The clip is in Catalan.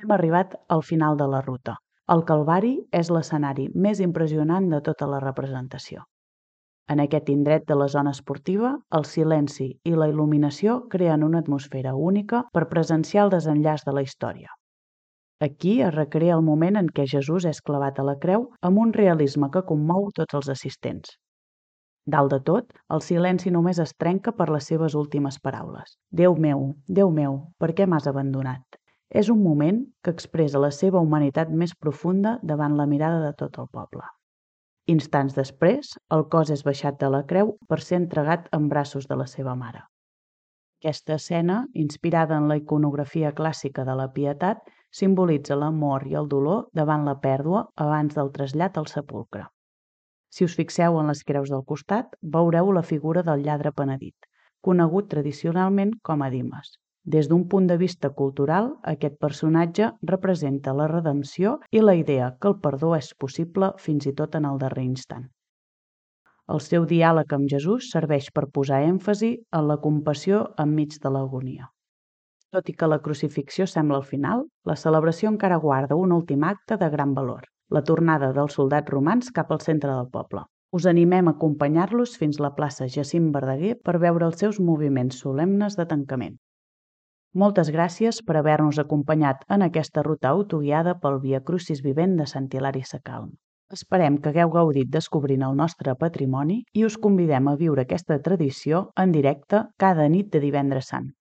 Hem arribat al final de la ruta. El Calvari és l'escenari més impressionant de tota la representació. En aquest indret de la zona esportiva, el silenci i la il·luminació creen una atmosfera única per presenciar el desenllaç de la història. Aquí es recrea el moment en què Jesús és clavat a la creu amb un realisme que commou tots els assistents. Dalt de tot, el silenci només es trenca per les seves últimes paraules. Déu meu, per què m'has abandonat? És un moment que expressa la seva humanitat més profunda davant la mirada de tot el poble. Instants després, el cos és baixat de la creu per ser entregat en braços de la seva mare. Aquesta escena, inspirada en la iconografia clàssica de la pietat, simbolitza l'amor i el dolor davant la pèrdua abans del trasllat al sepulcre. Si us fixeu en les creus del costat, veureu la figura del lladre penedit, conegut tradicionalment com a Dimes. Des d'un punt de vista cultural, aquest personatge representa la redempció i la idea que el perdó és possible fins i tot en el darrer instant. El seu diàleg amb Jesús serveix per posar èmfasi en la compassió enmig de l'agonia. Tot i que la crucifixió sembla al final, la celebració encara guarda un últim acte de gran valor, la tornada dels soldats romans cap al centre del poble. Us animem a acompanyar-los fins a la plaça Jacint Verdaguer per veure els seus moviments solemnes de tancament. Moltes gràcies per haver-nos acompanyat en aquesta ruta autoguiada pel Via Crucis vivent de Sant Hilari Sacalm. Esperem que hagueu gaudit descobrint el nostre patrimoni i us convidem a viure aquesta tradició en directe cada nit de Divendres Sant.